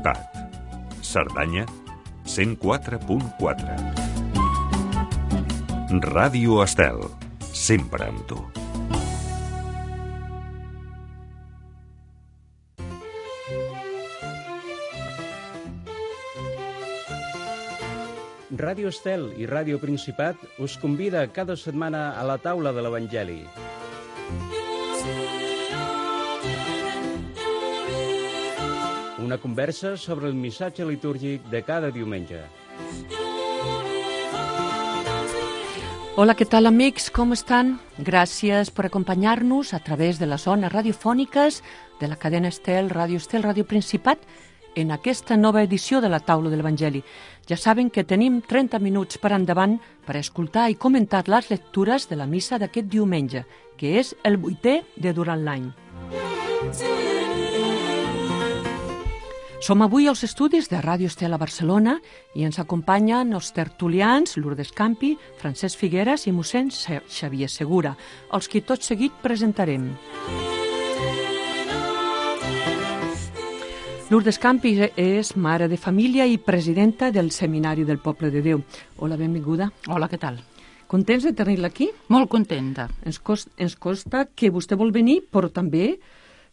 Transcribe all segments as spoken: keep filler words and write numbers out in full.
Principat. Cerdanya, cent quatre punt quatre. Ràdio Estel, sempre amb tu. Ràdio Estel i Ràdio Principat us convida cada setmana a la taula de l'Evangeli. Una conversa sobre el missatge litúrgic de cada diumenge. Hola, ¿qué tal, amics? ¿Cómo están? Gracias por acompañarnos a través de las zones radiofòniques de la cadena Estel, Ràdio Estel, Ràdio Principat, en aquesta nova edició de la taula de l'Evangeli. Ja saben que tenim trenta minuts per endavant per escoltar i comentar les lectures de la missa d'aquest diumenge, que és el vuitè de durant l'any. Som avui als estudis de Ràdio Estel a Barcelona i ens acompanyen els tertulians Lourdes Campi, Francesc Figueras i mossèn Xavier Segura, els que tot seguit presentarem. Lourdes Campi és mare de família i presidenta del Seminari del Poble de Déu. Hola, benvinguda. Hola, què tal? Contents de tenir-la aquí? Molt contenta. Ens costa, ens costa que vostè vol venir, però també...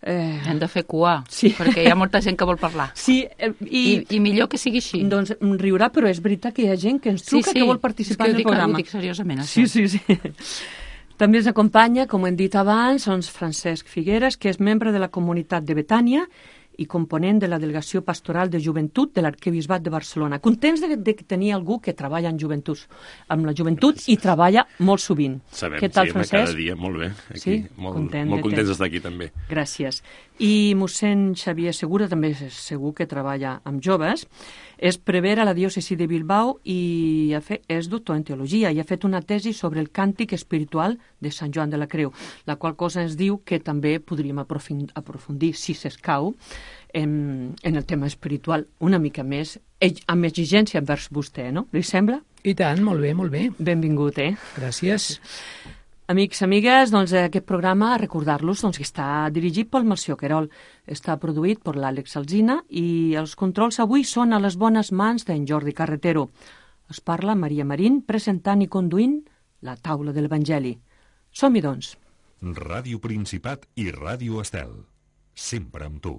Eh... Hem de fer cua, sí. Perquè hi ha molta gent que vol parlar. Sí, eh, i... I... I millor que sigui així. Doncs riurà, però és veritat que hi ha gent que ens truca sí, sí. que vol participar en el dic, programa. Ho dic seriosament, això. Sí, sí, sí. També ens acompanya, com hem dit abans, doncs Francesc Figueras, que és membre de la comunitat de Betània i component de la Delegació Pastoral de Joventut de l'Arquebisbat de Barcelona. Contents de, de tenir algú que treballa en joventut, amb la joventut i treballa molt sovint. Sabem, Què tal, sí, Francesc? cada dia, molt bé. Aquí, sí? molt, Content molt de contents d'estar aquí també. Gràcies. I mossèn Xavier Segura també és segur que treballa amb joves. És prevere a la diòcesi de Bilbao i ha fet, és doctor en teologia i ha fet una tesi sobre el càntic espiritual de Sant Joan de la Creu, la qual cosa ens diu que també podríem aprofundir, si s'escau, en, en el tema espiritual una mica més, amb exigència envers vostè, no? Li sembla? I tant, molt bé, molt bé. Benvingut, eh? Gràcies. Amics, amigues, doncs aquest programa, recordar-los doncs, que està dirigit pel Melcior Querol, està produït per l'Àlex Alsina i els controls avui són a les bones mans d'en Jordi Carretero. Es parla Maria Marín presentant i conduint la taula de l'Evangeli. Som-hi, doncs. Ràdio Principat i Ràdio Estel, sempre amb tu.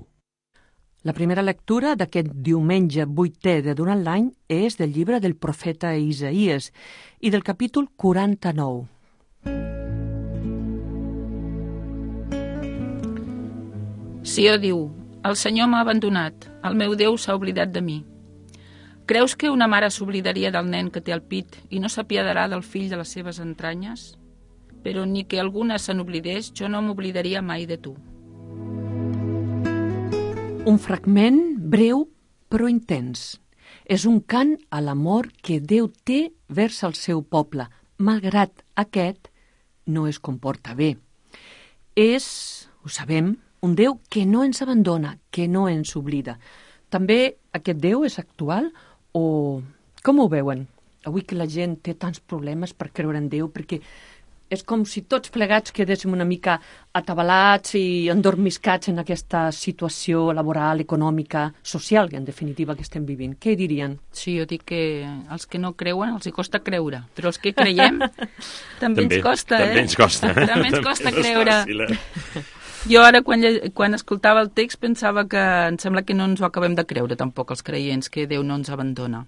La primera lectura d'aquest diumenge vuitè de durant l'any és del llibre del profeta Isaïes i del capítol quaranta-nou. Sió diu, el Senyor m'ha abandonat, el meu Déu s'ha oblidat de mi. Creus que una mare s'oblidaria del nen que té al pit i no s'apiadarà del fill de les seves entranyes? Però ni que alguna se n'oblidés, jo no m'oblidaria mai de tu. Un fragment breu però intens. És un cant a l'amor que Déu té vers el seu poble, malgrat aquest no es comporta bé. És, ho sabem, un Déu que no ens abandona, que no ens oblida. També aquest Déu és actual o com ho veuen? Avui que la gent té tants problemes per creure en Déu, perquè és com si tots plegats quedéssim una mica atabalats i endormiscats en aquesta situació laboral, econòmica, social, en definitiva, que estem vivint. Què dirien? Sí, jo dic que els que no creuen els hi costa creure, però els que creiem també, també ens costa, també eh? Ens costa. També ens costa creure. Jo ara, quan, quan escoltava el text, pensava que em sembla que no ens ho acabem de creure, tampoc, els creients, que Déu no ens abandona.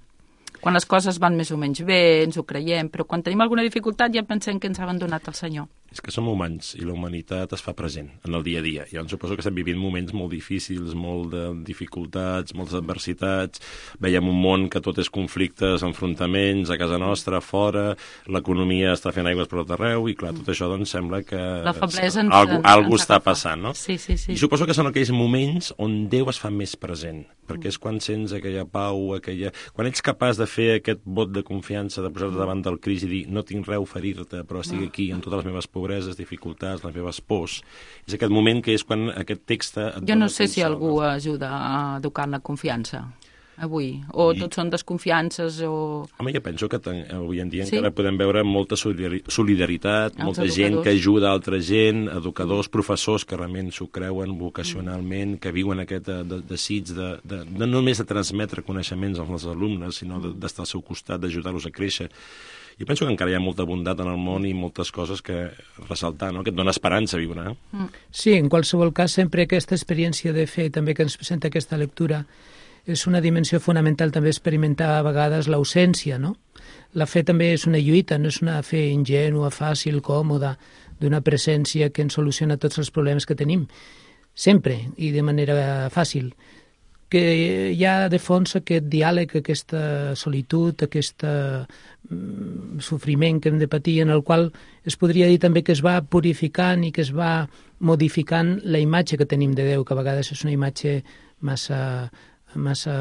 Quan les coses van més o menys bé, ens ho creiem, però quan tenim alguna dificultat ja pensem que ens ha abandonat el Senyor. És que som humans i la humanitat es fa present en el dia a dia. Jo em suposo que estem vivint moments molt difícils, molt de dificultats, moltes adversitats. Veiem un món que tot és conflictes, enfrontaments, a casa nostra, fora, l'economia està fent aigües per tot arreu i, clar, tot això doncs sembla que la feblesa ens, algú, ens, algú ens està passant, no? Sí, sí, sí. I suposo que són aquells moments on Déu es fa més present, perquè és quan sents aquella pau, aquella... quan ets capaç de fer aquest vot de confiança, de posar-te davant del Crist i dir no tinc res a oferir-te, però estic aquí amb totes les meves pobreses, dificultats, les meves pors. És aquest moment que és quan aquest text... Jo no sé si algú ajuda a educar en la confiança. avui? O I... tot són desconfiances o... Home, jo penso que ten, avui en dia sí? encara podem veure molta solidaritat, Els molta educadors. gent que ajuda altra gent, educadors, professors que realment s'ho creuen vocacionalment, que viuen aquest de, de, desig de, de, de no només de transmetre coneixements als alumnes, sinó d'estar al seu costat, d'ajudar-los a créixer. Jo penso que encara hi ha molta bondat en el món i moltes coses que ressaltar, no? Que et dona esperança viure. Eh? Sí, en qualsevol cas, sempre aquesta experiència de fe, també que ens presenta aquesta lectura, és una dimensió fonamental també experimentar a vegades l'ausència, no? La fe també és una lluita, no és una fe ingènua, fàcil, còmoda, d'una presència que ens soluciona tots els problemes que tenim, sempre i de manera fàcil. Que hi ha de fons aquest diàleg, aquesta solitud, aquest mm, sofriment que hem de patir, en el qual es podria dir també que es va purificant i que es va modificant la imatge que tenim de Déu, que a vegades és una imatge massa, massa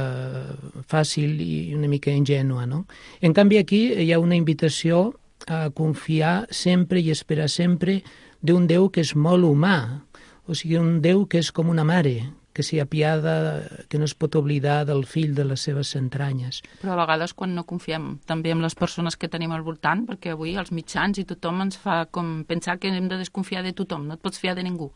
fàcil i una mica ingènua, no? En canvi, aquí hi ha una invitació a confiar sempre i esperar sempre d'un Déu que és molt humà, o sigui, un Déu que és com una mare, que s'hi apiada, que no es pot oblidar del fill de les seves entranyes. Però a vegades quan no confiem també en les persones que tenim al voltant, perquè avui els mitjans i tothom ens fa com pensar que hem de desconfiar de tothom, no et pots fiar de ningú.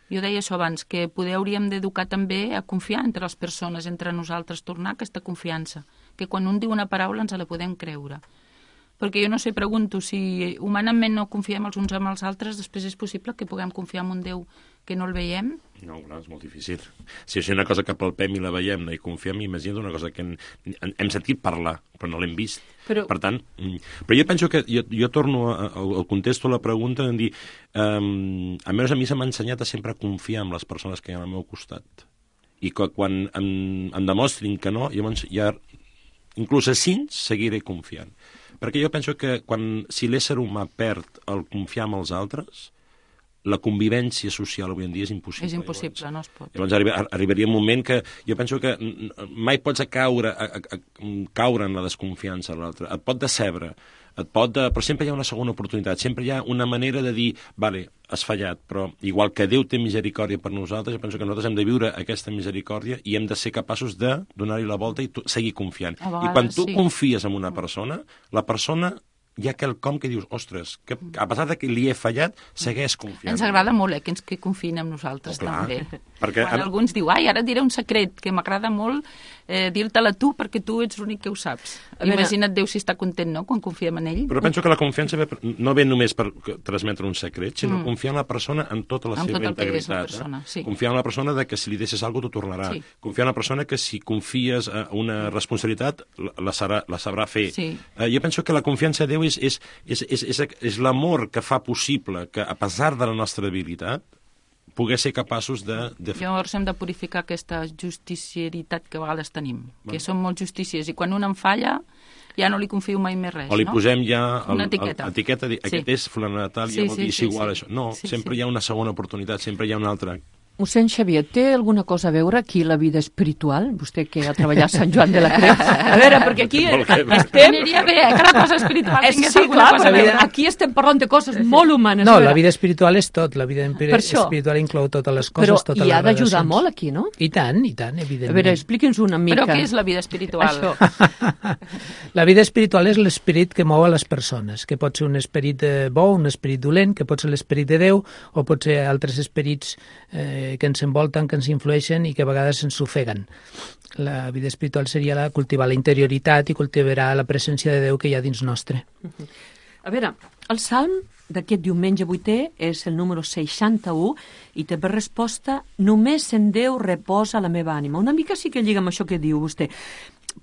Jo deia això abans, que poder hauríem d'educar també a confiar entre les persones, entre nosaltres, tornar aquesta confiança, que quan un diu una paraula ens la podem creure. Perquè jo no sé, pregunto, si humanament no confiem els uns amb els altres, després és possible que puguem confiar en un Déu que no el veiem? No, clar, és molt difícil. Si és una cosa que palpem i la veiem, no hi confiem, imagina't una cosa que hem, hem sentit parlar, però no l'hem vist. Però... Per tant, però jo penso que, jo, jo torno a, a, al contesto a la pregunta en dir, um, almenys a mi se m'ha ensenyat a sempre confiar en les persones que hi ha al meu costat. I que quan em, em demostrin que no, llavors ja, inclús a cinc, seguiré confiant. Perquè jo penso que quan, si l'ésser humà perd el confiar en els altres, la convivència social avui en dia és impossible. És impossible, llavors. no es pot. Llavors arriba, arribaria un moment que jo penso que mai pots caure, a, a, a, caure en la desconfiança a l'altre. Et pot decebre, et pot de... però sempre hi ha una segona oportunitat, sempre hi ha una manera de dir, vale, has fallat, però igual que Déu té misericòrdia per nosaltres, jo penso que nosaltres hem de viure aquesta misericòrdia i hem de ser capaços de donar-hi la volta i seguir confiant. Vegades, I quan tu sí. confies en una persona, la persona hi ha quelcom que dius, ostres, que a pesar de que li he fallat, segueix confiant. Ens agrada molt, eh, que ens que confiïn en nosaltres, Oh, clar, també. perquè Quan en- algú ens diu, ai, ara et diré un secret, que m'agrada molt eh, dir-te-la tu, perquè tu ets l'únic que ho saps. A veure- Imagina't Déu si està content, no?, quan confiem en ell. Però penso que la confiança ve, no ve només per transmetre un secret, sinó Mm. confiar en la persona en tota la En seva tot el que és la integritat. persona, eh? sí. Confiar en la persona de que si li deixes alguna cosa t'ho tornarà. Sí. Confiar en la persona que si confies a una responsabilitat la, la, serà, la sabrà fer. Sí. Eh, jo penso que la confiança en Déu és, és, és, és, és, és l'amor que fa possible que, a pesar de la nostra debilitat, poder ser capaços de... de fer... Llavors hem de purificar aquesta justicieritat que a vegades tenim, que som molt justícies, i quan un em falla ja no li confio mai més res, O li no? posem ja el, Una etiqueta. el, etiqueta, de, aquest Sí. és fulana de tal, Sí, ja vol sí, dir és sí, igual sí. això. No, Sí, sempre sí. hi ha una segona oportunitat, sempre hi ha una altra. Mossèn Xavier, té alguna cosa a veure aquí la vida espiritual? Vostè que ha treballat a Sant Joan de la Creu. A veure, perquè aquí Molt bé. estem... Aniria bé, eh, que la cosa espiritual Eh, tingués sí, alguna clar, cosa a la veure. vida, aquí estem parlant de coses molt humanes. No, a veure. la vida espiritual és tot, la vida empi- Per això. espiritual inclou totes les coses, Però totes hi ha les d'ajudar relacions. molt aquí, no? I tant, i tant, A evidentment. veure, expliqui'ns una mica. Però què és la vida espiritual? Això. La vida espiritual és l'esperit que mou a les persones, que pot ser un esperit eh, bo, un esperit dolent, que pot ser l'esperit de Déu, o pot ser altres esperits eh, que ens envolten, que ens influeixen i que a vegades ens ofeguen. La vida espiritual seria la, cultivar la interioritat i cultivar la presència de Déu que hi ha dins nostre. A veure, el salm d'aquest diumenge vuitè és el número seixanta-u i té per resposta només en Déu reposa la meva ànima. Una mica sí que lliga amb això que diu vostè.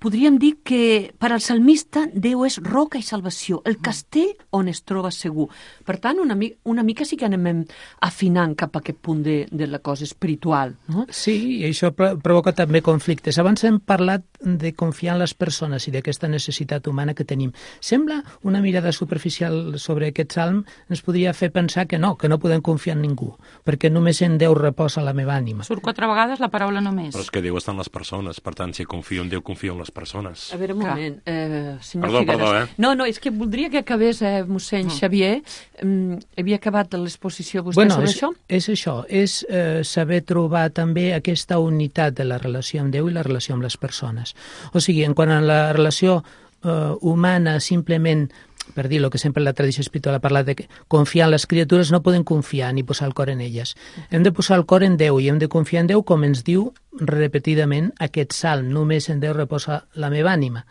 Podríem dir que per al salmista Déu és roca i salvació, el castell on es troba segur. Per tant, una, mi una mica sí que anem afinant cap a aquest punt de, de la cosa espiritual, no? Sí, i això pro provoca també conflictes. Abans hem parlat de confiar en les persones i d'aquesta necessitat humana que tenim. Sembla una mirada superficial sobre aquest salm ens podria fer pensar que no, que no podem confiar en ningú, perquè només en Déu reposa la meva ànima. Surt quatre vegades la paraula només. Però és que Déu està en les persones, per tant, si confio en Déu, confio en les persones. A veure, un moment, eh, senyor Perdó, Figueres. perdó, eh? No, no, és que voldria que acabés eh, mossèn Mm. Xavier. Mm, havia acabat l'exposició vostè Bueno, sobre és, això? és això, és eh, saber trobar també aquesta unitat de la relació amb Déu i la relació amb les persones. O sigui, en quant a la relació eh, humana, simplement, per dir el que sempre la tradició espiritual ha parlat de que confiar en les criatures, no podem confiar ni posar el cor en elles. Hem de posar el cor en Déu i hem de confiar en Déu, com ens diu repetidament aquest salm, només en Déu reposa la meva ànima.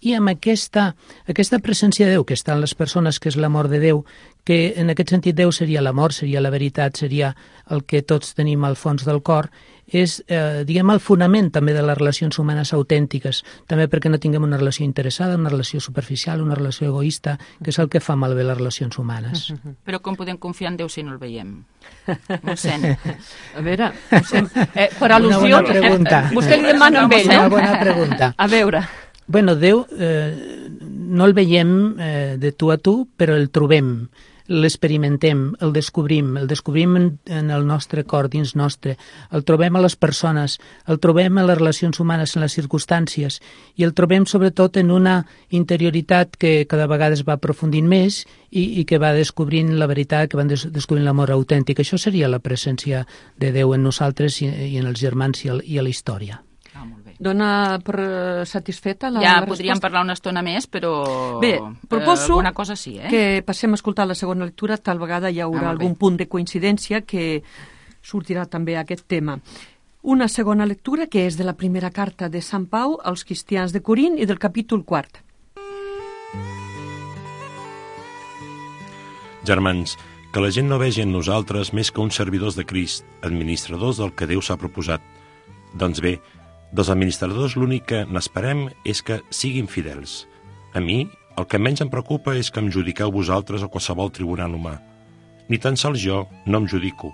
I amb aquesta, aquesta presència de Déu que està en les persones, que és l'amor de Déu, que en aquest sentit Déu seria l'amor, seria la veritat, seria el que tots tenim al fons del cor, és, eh, diguem, el fonament també de les relacions humanes autèntiques, també perquè no tinguem una relació interessada, una relació superficial, una relació egoista, que és el que fa malbé les relacions humanes. Però com podem confiar en Déu si no el veiem? Mossèn. A veure, mossèn, eh, per Una al·lusió... bona pregunta. Eh, vostè li demana amb ell, Una no? bona pregunta. A veure, Bueno, Déu eh, no el veiem eh, de tu a tu, però el trobem, l'experimentem, el descobrim, el descobrim en, en el nostre cor, dins nostre, el trobem a les persones, el trobem a les relacions humanes, en les circumstàncies, i el trobem sobretot en una interioritat que cada vegada es va aprofundint més i, i que va descobrint la veritat, que van des, descobrint l'amor autèntic. Això seria la presència de Déu en nosaltres i, i en els germans i, el, i a la història. Ah, molt bé. dona per eh, satisfeta la, Ja la podríem resposta? parlar una estona més, però Bé, proposo eh, alguna cosa sí, eh? que passem a escoltar la segona lectura, tal vegada hi haurà Ah, molt bé. algun punt de coincidència que sortirà també aquest tema. Una segona lectura que és de la primera carta de Sant Pau als cristians de Corint i del capítol quart. Germans, que la gent no vegi en nosaltres més que uns servidors de Crist, administradors del que Déu s'ha proposat. Doncs bé, dels administradors l'únic que n'esperem és que siguin fidels. A mi, el que menys em preocupa és que em judiqueu vosaltres a qualsevol tribunal humà. Ni tan sols jo no em judico.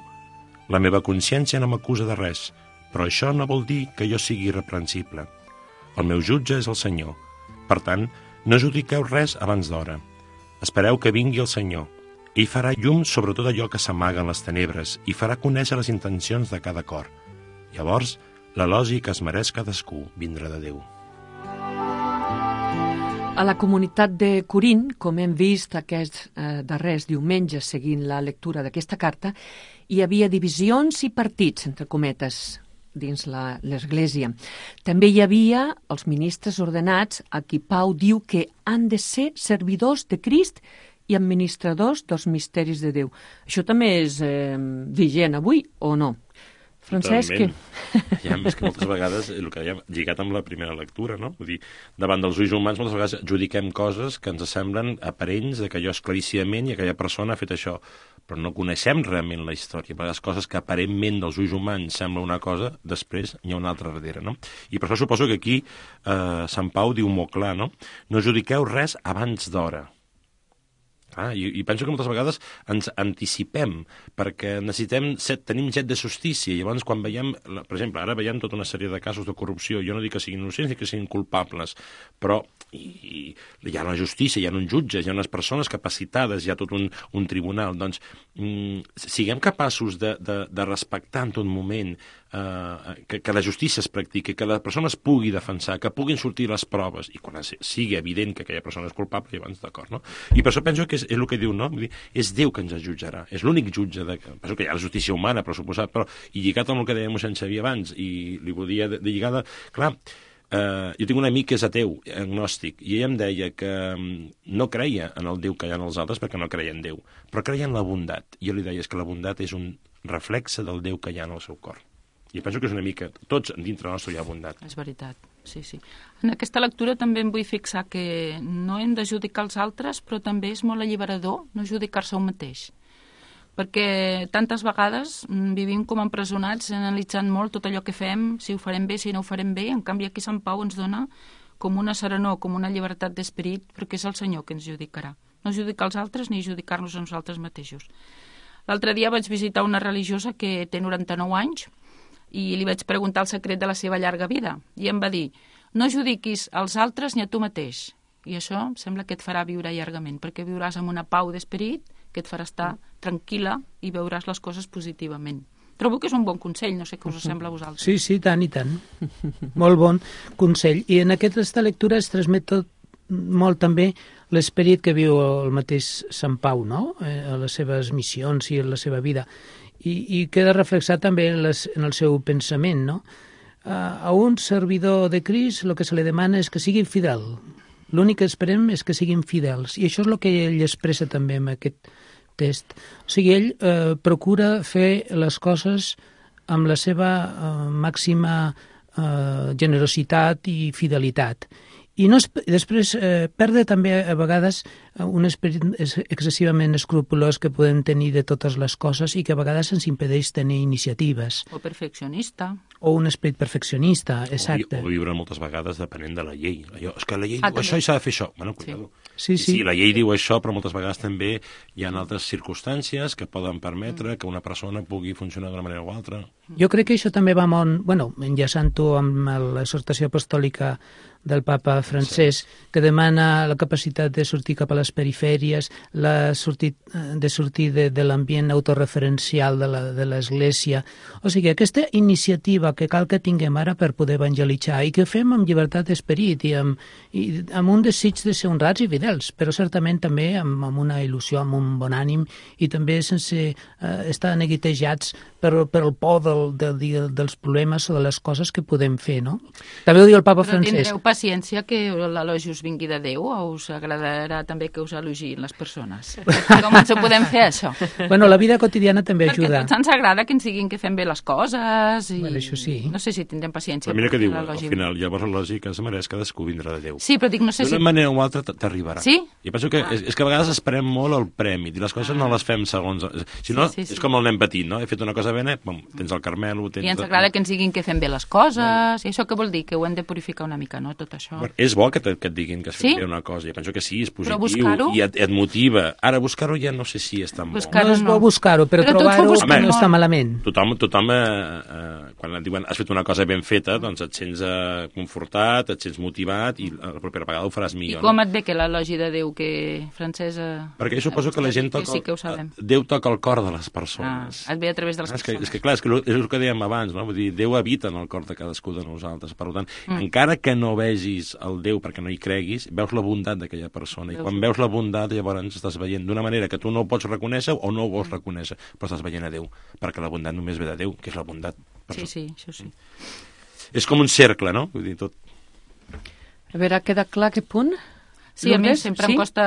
La meva consciència no m'acusa de res, però això no vol dir que jo sigui irreprensible. El meu jutge és el Senyor. Per tant, no judiqueu res abans d'hora. Espereu que vingui el Senyor. Ell farà llum sobre tot allò que s'amaga en les tenebres i farà conèixer les intencions de cada cor. Llavors, l'elogi que es mereix cadascú vindrà de Déu. A la comunitat de Corint, com hem vist aquests eh, darrers diumenges seguint la lectura d'aquesta carta, hi havia divisions i partits, entre cometes, dins la- l'Església. També hi havia els ministres ordenats a qui Pau diu que han de ser servidors de Crist i administradors dels misteris de Déu. Això també és eh, vigent avui, o no? Francesc, que... Totalment. Ja, més que moltes vegades, el que dèiem, lligat amb la primera lectura, no? Vull dir, davant dels ulls humans moltes vegades judiquem coses que ens semblen aparents, de que allò és claríssimament i aquella persona ha fet això, però no coneixem realment la història. A vegades coses que aparentment dels ulls humans sembla una cosa, després hi ha una altra darrere, no? I per això suposo que aquí eh, Sant Pau diu molt clar, no? No judiqueu res abans d'hora. Ah, i, I penso que moltes vegades ens anticipem, perquè necessitem set, tenim set de justícia, i llavors quan veiem, la- per exemple, ara veiem tota una sèrie de casos de corrupció, jo no dic que siguin innocents ni que siguin culpables, però i, i, hi ha una justícia, hi ha uns jutges, hi ha unes persones capacitades, hi ha tot un, un tribunal, doncs mm, siguem capaços de, de, de respectar en tot moment eh, que, que la justícia es practiqui, que la persona es pugui defensar, que puguin sortir les proves, i quan es- sigui evident que aquella persona és culpable, llavors d'acord, no? I per això penso que és, és el que diu, no? Vull dir, és Déu que ens jutjarà, és l'únic jutge, de, penso que hi ha la justícia humana, per suposat, però, i lligat amb el que dèiem mossèn Xavier abans, i li volia de, de lligada, clar, eh, jo tinc un amic que és ateu, agnòstic, i ell em deia que mm, no creia en el Déu que hi ha en els altres perquè no creia en Déu, però creia en la bondat. I jo li deia és que la bondat és un reflexe del Déu que hi ha en el seu cor. I penso que és una mica... Tots dintre nostre hi ha bondat. És veritat, sí, sí. En aquesta lectura també em vull fixar que no hem de judicar els altres, però també és molt alliberador no judicar-se un mateix. Perquè tantes vegades mm, vivim com empresonats analitzant molt tot allò que fem, si ho farem bé, si no ho farem bé. En canvi, aquí Sant Pau ens dona com una serenor, com una llibertat d'esperit, perquè és el Senyor que ens judicarà. No judicar els altres ni judicar-nos a nosaltres mateixos. L'altre dia vaig visitar una religiosa que té noranta-nou anys i li vaig preguntar el secret de la seva llarga vida. I em va dir, no judiquis als altres ni a tu mateix. I això sembla que et farà viure llargament, perquè viuràs amb una pau d'esperit que et farà estar tranquil·la i veuràs les coses positivament. Trobo que és un bon consell, no sé què us sembla a vosaltres. Sí, sí, tant i tant. Molt bon consell. I en aquesta lectura es transmet tot molt també l'esperit que viu el mateix Sant Pau, no?, a les seves missions i en la seva vida, i, i queda reflexat també en, les, en el seu pensament, no? A, a un servidor de Crist el que se li demana és que sigui fidel. L'únic que esperem és que siguin fidels, i això és el que ell expressa també en aquest text. O sigui, ell eh, procura fer les coses amb la seva eh, màxima eh, generositat i fidelitat. I no es, després eh, perdre també a vegades un esperit excessivament escrupolós que podem tenir de totes les coses i que a vegades ens impedeix tenir iniciatives. O perfeccionista. O un esperit perfeccionista, exacte. O, vi, o viure moltes vegades depenent de la llei. Allò, és que la llei ah, diu això i s'ha de fer això. Bueno, cuidado. Sí, sí. Sí, la llei diu això, però moltes vegades també hi ha altres circumstàncies que poden permetre que una persona pugui funcionar d'una manera o altra. Jo crec que això també va molt... Bueno, enllaçant-ho amb l'exhortació apostòlica del papa francès, sí, que demana la capacitat de sortir cap a les perifèries, la sortir, de sortir de, de l'ambient autorreferencial de l'Església. O sigui, aquesta iniciativa que cal que tinguem ara per poder evangelitzar i que fem amb llibertat d'esperit i amb, i amb un desig de ser honrats i fidels, però certament també amb, amb una il·lusió, amb un bon ànim i també sense eh, estar neguitejats per, per el por del, del, dels problemes o de les coses que podem fer, no? També ho diu el papa però francès. Tindreu paciència que l'elogi us vingui de Déu o us agradarà també que us elogin les persones? Com ens ho podem fer, això? Bueno, la vida quotidiana també Perquè ajuda. Perquè tots ens agrada que ens diguin que fem bé les coses i... Bueno, això sí. No sé si tindrem paciència. Però mira que diu, al final, llavors l'elogi que es mereix cadascú vindrà de Déu. Sí, però dic, no sé si... D'una manera o altra t'arribarà. Sí? Jo penso que, ah. és, és que a vegades esperem molt el premi i les coses ah. no les fem segons... Si no, sí, sí, sí. és com el nen petit, no? He fet una cosa bene, bom, tens el Carmelo... Tens... I ens agrada que ens diguin que fem bé les coses, bueno. I això què vol dir? Que ho hem de purificar una mica, no? Tot això. Bueno, és bo que, te, que et diguin que has fet sí? bé una cosa, jo penso que sí, és positiu buscar-ho... i et, et motiva. Ara, buscar-ho ja no sé si és tan bo. No és bo buscar-ho, però, però trobar-ho no està malament. Tothom, tothom eh, eh, quan et diuen has fet una cosa ben feta, doncs et sents eh, confortat, et sents motivat i la propera vegada ho faràs millor. I com no? et ve que l'elogi de Déu, que francesa... Perquè jo suposo que la gent toca... Que sí que ho sabem. Déu toca el cor de les persones. Ah, et ve a través de les és persones. Que, és que clar, és, que és el que dèiem abans, no? Vull dir, Déu habita en el cor de cadascú de nosaltres. Per tant, mm. encara que no vegis el Déu perquè no hi creguis, veus la bondat d'aquella persona. I quan veus la bondat, llavors estàs veient d'una manera que tu no ho pots reconèixer o no ho vols reconèixer, però estàs veient a Déu, perquè la bondat només ve de Déu, que és la bondat. Sí, sí, això sí. És com un cercle, no? Vull dir, tot... A veure, ha quedat clar que punt? Sí, a mi sempre sí? em costa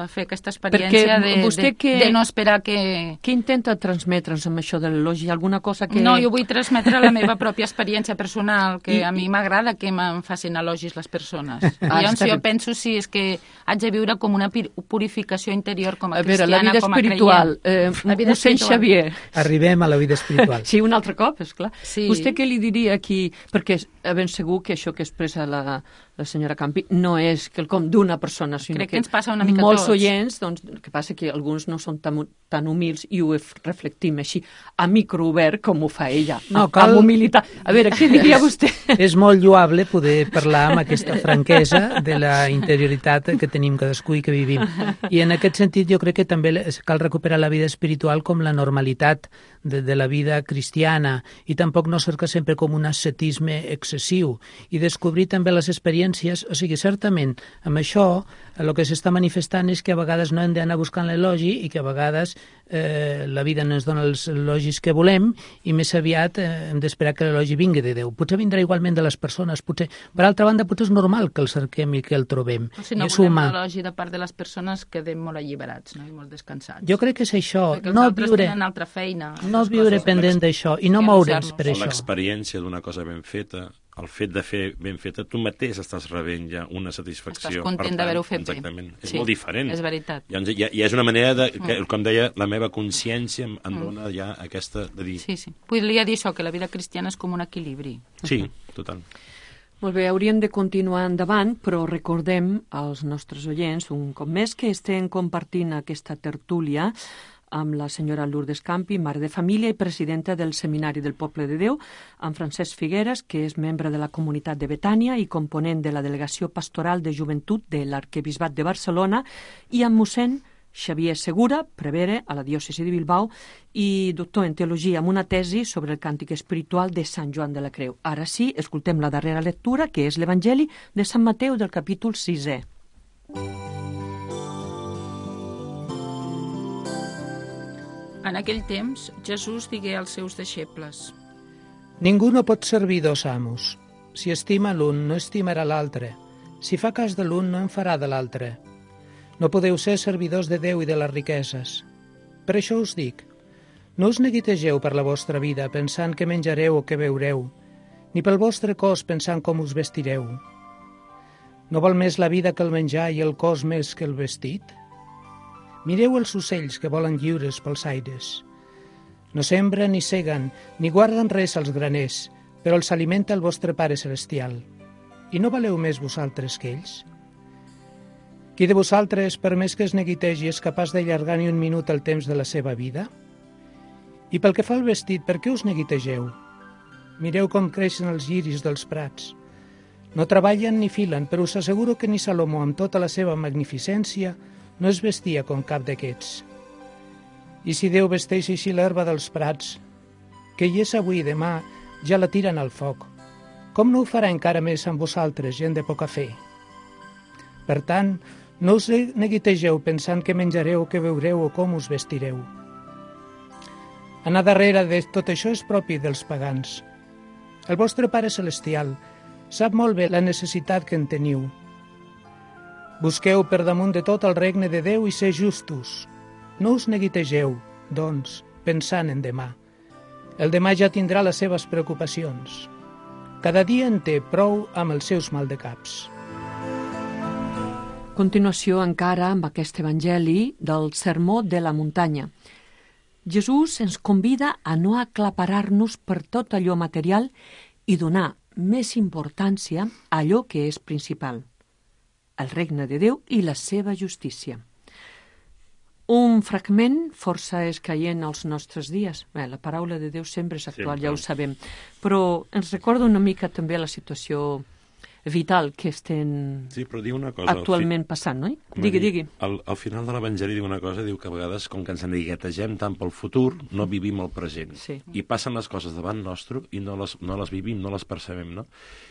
fer aquesta experiència de, de, que, de no esperar que... Què intenta transmetre'ns amb això de l'elogi? Alguna cosa que... No, jo vull transmetre la meva pròpia experiència personal, que I, a mi m'agrada que me'n facin elogis les persones. Ah, I llavors jo penso si és que haig de viure com una purificació interior com a, a cristiana, veure, la vida com a espiritual, creient. Eh, la vida mossèn Xavier. Arribem a la vida espiritual. Sí, un altre cop, esclar. Sí. Vostè què li diria aquí? Perquè ben segur que això que expressa la, la senyora Campi no és quelcom d'una persona, sinó Crec que, que ens passa una mica molts tots. oients, doncs, el que passa que alguns no són tan, tan humils i ho reflectim així, a microobert, com ho fa ella, no, amb, cal... amb humilitat. A veure, què diria vostè? És molt lloable poder parlar amb aquesta franquesa de la interioritat que tenim cadascú i que vivim. I en aquest sentit jo crec que també cal recuperar la vida espiritual com la normalitat de, de la vida cristiana i tampoc no cercar sempre com un ascetisme excessiu i descobrir també les experiències, o sigui, certament, amb això el que s'està manifestant és que a vegades no hem d'anar buscant l'elogi i que a vegades eh, la vida no ens dona els elogis que volem i més aviat eh, hem d'esperar que l'elogi vingui de Déu. Potser vindrà igualment de les persones, potser, per altra banda, potser és normal que el cerquem i que el trobem. Però si no volem l'elogi de part de les persones, quedem molt alliberats, no? I molt descansats. Jo crec que és això. Perquè no els altres viure, tenen altra feina. No viure pendent d'això i no moure'ns per això. L'experiència d'una cosa ben feta, el fet de fer ben feta, tu mateix estàs rebent ja una satisfacció. Estàs content d'haver-ho fet bé. Exactament. És sí, molt diferent. És veritat. Llavors, ja, ja és una manera de, que, com deia, la meva consciència em, em dona ja aquesta de dir... Sí, sí. Podria dir això, que la vida cristiana és com un equilibri. Sí, total. Molt bé, hauríem de continuar endavant, però recordem als nostres oients, un cop més, que estem compartint aquesta tertúlia amb la senyora Lourdes Campi, mare de família i presidenta del Seminari del Poble de Déu, amb Francesc Figueres, que és membre de la comunitat de Betània i component de la Delegació Pastoral de Joventut de l'Arquebisbat de Barcelona, i amb mossèn Xavier Segura, prevere a la diòcesi de Bilbao i doctor en teologia amb una tesi sobre el càntic espiritual de Sant Joan de la Creu. Ara sí, escoltem la darrera lectura, que és l'Evangeli de Sant Mateu del capítol sisè. En aquell temps, Jesús digué als seus deixebles: Ningú no pot servir dos amos. Si estima l'un, no estimarà l'altre. Si fa cas de l'un, no en farà de l'altre. No podeu ser servidors de Déu i de les riqueses. Per això us dic, no us neguitegeu per la vostra vida pensant que menjareu o que beureu, ni pel vostre cos pensant com us vestireu. No val més la vida que el menjar i el cos més que el vestit? Mireu els ocells que volen lliures pels aires. No sembren ni seguen, ni guarden res als graners, però els alimenta el vostre Pare Celestial. I no valeu més vosaltres que ells? Qui de vosaltres, per més que es neguitegi, és capaç d'allargar ni un minut el temps de la seva vida? I pel que fa al vestit, per què us neguitegeu? Mireu com creixen els lliris dels prats. No treballen ni filen, però us asseguro que ni Salomó, amb tota la seva magnificència, no es vestia com cap d'aquests. I si Déu vesteix així l'herba dels prats, que hi és avui i demà, ja la tiren al foc, com no ho farà encara més amb vosaltres, gent de poca fe? Per tant, no us neguitegeu pensant que menjareu o que beureu o com us vestireu. Anar darrere de tot això és propi dels pagans. El vostre Pare Celestial sap molt bé la necessitat que en teniu. Busqueu per damunt de tot el regne de Déu i ser justos. No us neguitegeu, doncs, pensant en demà. El demà ja tindrà les seves preocupacions. Cada dia en té prou amb els seus maldecaps. Continuació encara amb aquest evangeli del Sermó de la Muntanya. Jesús ens convida a no aclaparar-nos per tot allò material i donar més importància a allò que és principal, el regne de Déu i la seva justícia. Un fragment força escaient als nostres dies. Bé, la paraula de Déu sempre és actual, sempre. Ja ho sabem, però ens recorda una mica també la situació vital que estem sí, però diu una cosa, actualment fi... passant, no? Digui, digui. Al, al final de l'Evangeli diu una cosa, diu que a vegades, com que ens neguitegem tant pel futur, no vivim el present. Sí. I passen les coses davant nostre i no les, no les vivim, no les percebem, no?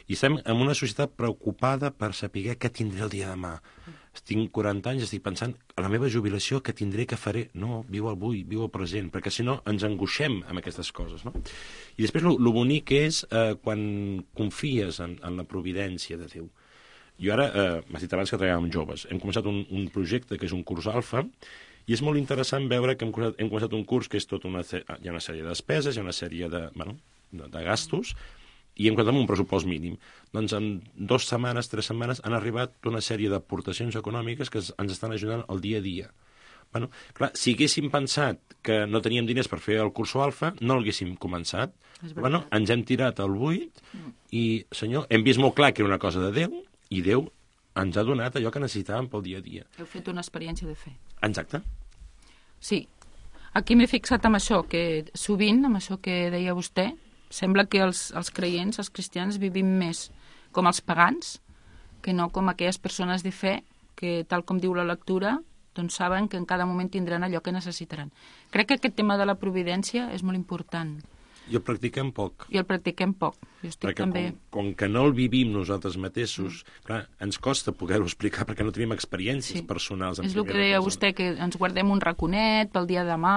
I estem en una societat preocupada per saber què tindré el dia de demà. Tinc quaranta anys, estic pensant a la meva jubilació, què tindré, què faré. No, viu el avui, viu el present, perquè si no ens angoixem amb aquestes coses, no? I després el bonic és eh, quan confies en, en la providència de Déu. Jo ara, eh, m'has dit abans que treballàvem amb joves, hem començat un, un projecte que és un curs alfa, i és molt interessant veure que hem començat, hem començat un curs que és tot una, hi ha una sèrie de despeses, hi ha una sèrie de, bueno, de, de gastos, i hem comptat amb un pressupost mínim. Doncs en dues setmanes, tres setmanes, han arribat una sèrie d'aportacions econòmiques que ens estan ajudant al dia a dia. Bueno, clar, si haguéssim pensat que no teníem diners per fer el curso alfa, no l'haguéssim començat. Bueno, ens hem tirat al buit i, senyor, hem vist molt clar que era una cosa de Déu i Déu ens ha donat allò que necessitàvem pel dia a dia. Heu fet una experiència de fe. Exacte. Sí. Aquí m'he fixat amb això, que sovint, amb això que deia vostè, sembla que els, els creients, els cristians, vivim més com els pagans que no com aquelles persones de fe que, tal com diu la lectura, doncs saben que en cada moment tindran allò que necessitaran. Crec que aquest tema de la providència és molt important. I el practiquem poc. I el practiquem poc. Jo estic perquè també... com, com que no el vivim nosaltres mateixos, mm. clar, ens costa poder-ho explicar perquè no tenim experiències sí. personals. És el que deia persona. Vostè, que ens guardem un raconet pel dia de demà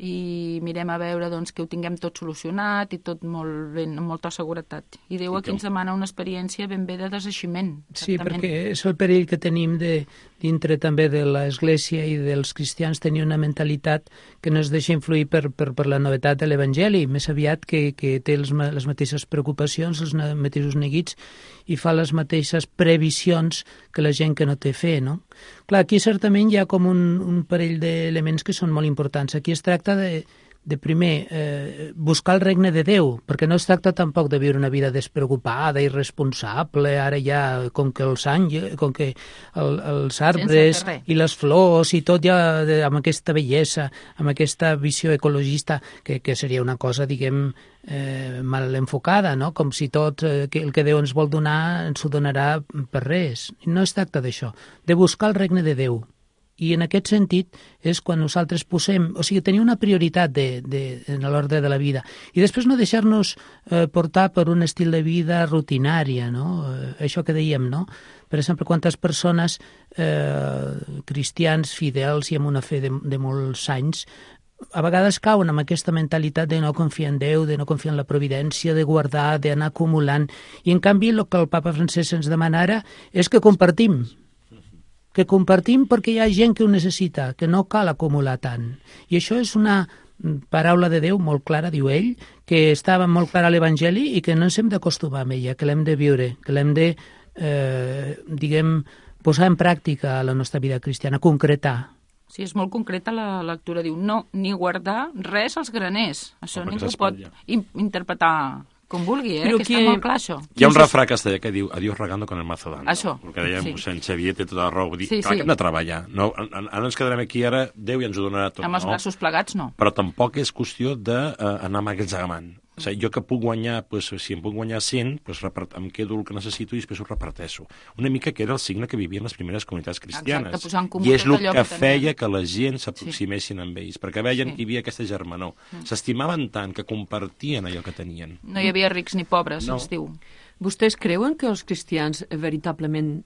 i mirem a veure doncs, que ho tinguem tot solucionat i tot molt ben, amb molta seguretat. I Déu aquí ens demana una experiència ben bé de deseiximent. Sí, perquè és el perill que tenim de, dintre també de l'Església i dels cristians tenir una mentalitat que no es deixa influir per, per, per la novetat de l'Evangeli, més aviat que, que té els, les mateixes preocupacions, els mateixos neguits i fa les mateixes previsions que la gent que no té fe, no? Clar, aquí certament hi ha com un, un parell d'elements que són molt importants. Aquí es tracta de, de primer, eh, buscar el regne de Déu, perquè no es tracta tampoc de viure una vida despreocupada, irresponsable, ara ja, com que els anys, com que el, els arbres i les flors i tot ja de, amb aquesta bellesa, amb aquesta visió ecologista, que, que seria una cosa, diguem, eh, mal enfocada, no? Com si tot eh, que el que Déu ens vol donar ens ho donarà per res. No es tracta d'això, de buscar el regne de Déu. I en aquest sentit és quan nosaltres posem, o sigui, tenir una prioritat de, de, en l'ordre de la vida i després no deixar-nos eh, portar per un estil de vida rutinària, no? Eh, això que dèiem, no? Per exemple, quantes persones eh, cristians fidels i amb una fe de, de molts anys a vegades cauen amb aquesta mentalitat de no confiar en Déu, de no confiar en la providència, de guardar, d'anar acumulant. I, en canvi, el que el papa Francesc ens demana ara és que compartim, que compartim perquè hi ha gent que ho necessita, que no cal acumular tant. I això és una paraula de Déu molt clara, diu ell, que estava molt clara a l'Evangeli i que no ens hem d'acostumar amb ella, que l'hem de viure, que l'hem de, eh, diguem, posar en pràctica a la nostra vida cristiana, concretar. Sí, és molt concreta la lectura. Diu, no, ni guardar res als graners. Això No, perquè ningú pot s'espatlla. in interpretar com vulgui, eh? Però que que- està molt clar, això. Hi ha un refrà castellà que diu adiós regando con el mazo dando. Això, El que deia sí. mossèn Xavier té tota la raó. Vull dir, Sí, clar sí. que hem de treballar. No, ara no ens quedarem aquí ara, Déu ja ens ho donarà tot. Amb els no? braços plegats, no. Però tampoc és qüestió d'anar amagatzegamant. O sigui, jo que puc guanyar, doncs, si em puc guanyar cent, doncs repart... em quedo el que necessito i després ho reparteixo. Una mica que era el signe que vivien les primeres comunitats cristianes. Exacte, posar en comú I és tot el allò que, que feia tenien. que la gent s'aproximessin amb ells, perquè veien Sí. que hi havia aquesta germanor. S'estimaven tant que compartien allò que tenien. No hi havia rics ni pobres, No. es diu. Vostès creuen que els cristians eh, veritablement,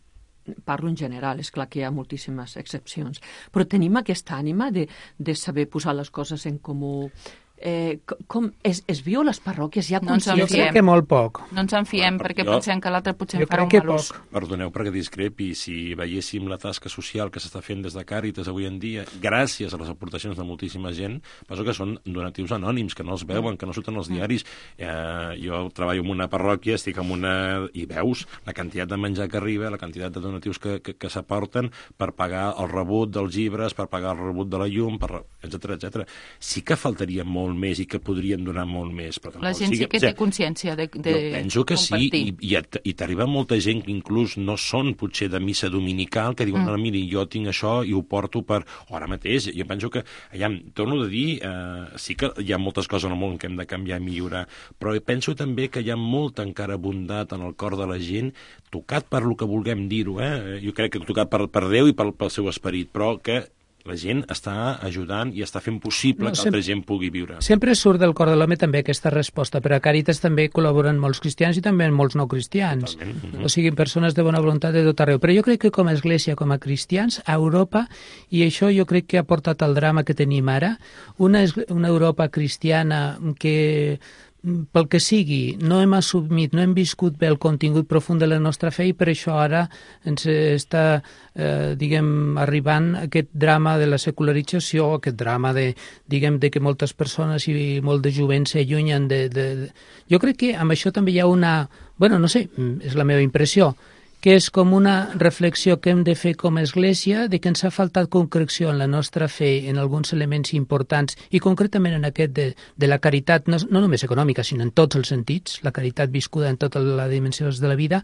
parlo en general, és clar que hi ha moltíssimes excepcions, però tenim aquesta ànima de, de saber posar les coses en comú? Eh, co- com es, es viu a les parròquies? Hi ha No ens en Jo consciència? crec que molt poc. No ens en fiem Clar, perquè jo- pensem que l'altre potser Jo en farà crec un que mal ús. poc. Perdoneu perquè discrepi, si veiéssim la tasca social que s'està fent des de Càritas avui en dia, gràcies a les aportacions de moltíssima gent, penso que són donatius anònims, que no els veuen, que no surten als diaris. Eh, jo treballo en una parròquia, estic en una... i veus la quantitat de menjar que arriba, la quantitat de donatius que, que, que s'aporten per pagar el rebut dels llibres, per pagar el rebut de la llum, per... etcètera, etcètera. Sí que faltaria molt més i que podrien donar molt més. Però La tampoc gent sí sigui- que o sigui, té consciència de, de jo penso que sí, compartir. i, i, et- i t'arriba molta gent que inclús no són potser de missa dominical, que diuen, mm. no, miri, jo tinc això i ho porto per... O ara mateix, jo penso que, allà, torno a dir, eh, sí que hi ha moltes coses en el món que hem de canviar i millorar, però penso també que hi ha molta encara bondat en el cor de la gent, tocat per lo que vulguem dir-ho, eh? Jo crec que tocat per, per Déu i pel, pel seu esperit, però que la gent està ajudant i està fent possible No, que sempre- altra gent pugui viure. Sempre surt del cor de l'home també aquesta resposta, però a Càritas també col·laboren molts cristians i també molts no cristians. Totalment. O sigui, persones de bona voluntat de tot arreu. Però jo crec que com a església, com a cristians, a Europa, i això jo crec que ha portat al drama que tenim ara, una, esgl- una Europa cristiana que pel que sigui, no hem assumit, no hem viscut bé el contingut profund de la nostra fe i per això ara ens està, eh, diguem, arribant aquest drama de la secularització, aquest drama de, diguem, de que moltes persones i molt de jovent s'allunyen de, de, de... Jo crec que amb això també hi ha una... Bueno, no sé, és la meva impressió, que és com una reflexió que hem de fer com a Església de que ens ha faltat concreció en la nostra fe en alguns elements importants i concretament en aquest de, de la caritat, no, no només econòmica, sinó en tots els sentits, la caritat viscuda en totes les dimensions de la vida,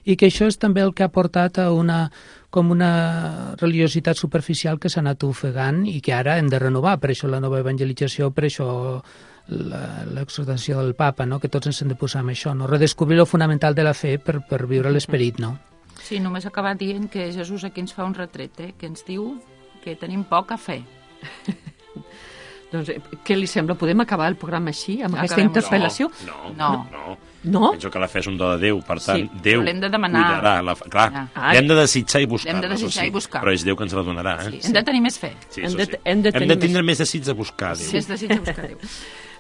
i que això és també el que ha portat a una, com una religiositat superficial que s'ha anat ofegant i que ara hem de renovar, per això la nova evangelització, per això l'exhortació del papa, no? Que tots ens hem de posar amb això, no? Redescobrir lo fonamental de la fe per, per viure l'esperit, no? Sí, només acabar dient que Jesús aquí ens fa un retret, eh? Que ens diu que tenim poca fe. Doncs, eh, què li sembla? Podem acabar el programa així, amb aquesta Acabem-ho. interpel·lació? No, No. no, no. No? Penso que la fe és un do de Déu, per tant, Sí, Déu però l'hem de demanar. cuidarà. La... Clar, Ah. l'hem de desitjar i buscar. L'hem de desitjar i buscar. Però és Déu que ens la donarà, eh? Sí. Hem de tenir més fe. Sí, Hem això de- sí. hem de tenir hem de tindre més desig de buscar Déu. Si es desitja buscar Déu.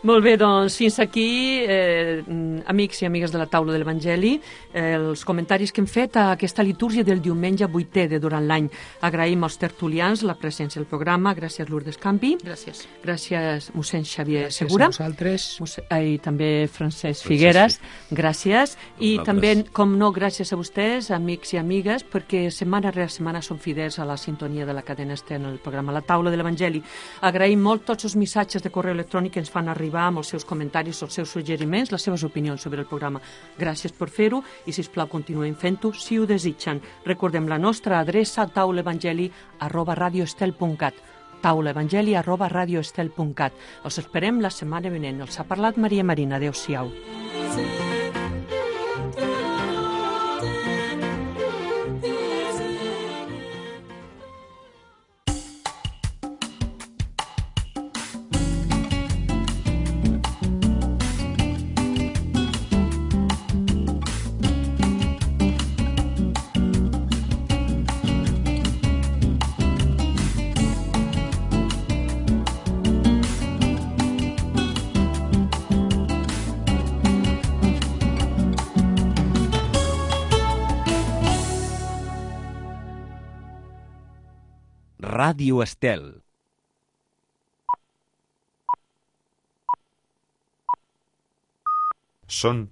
Molt bé, doncs fins aquí, eh, amics i amigues de la taula de l'Evangeli, eh, els comentaris que hem fet a aquesta litúrgia del diumenge vuitè de durant l'any. Agraïm als tertulians la presència al programa, gràcies Lourdes Campi, Gràcies. gràcies mossèn Xavier Gràcies Segura, a vosaltres. mossèn, eh, i també Francesc Francesc Figueres, gràcies, i Vosaltres. també, com no, gràcies a vostès, amics i amigues, perquè setmana rere setmana són fidels a la sintonia de la cadena Ester en el programa La Taula de l'Evangeli. Agraïm molt tots els missatges de correu electrònic que ens fan arribar amb els seus comentaris, els seus suggeriments, les seves opinions sobre el programa. Gràcies per fer-ho i, si us plau, continuem fent-ho si ho desitgen. Recordem la nostra adreça taulaevangeli arroba radioestel punt cat taulaevangeli arroba radioestel punt cat. Els esperem la setmana vinent. Els ha parlat Maria Marina. Adéu-siau. Ràdio Estel. Són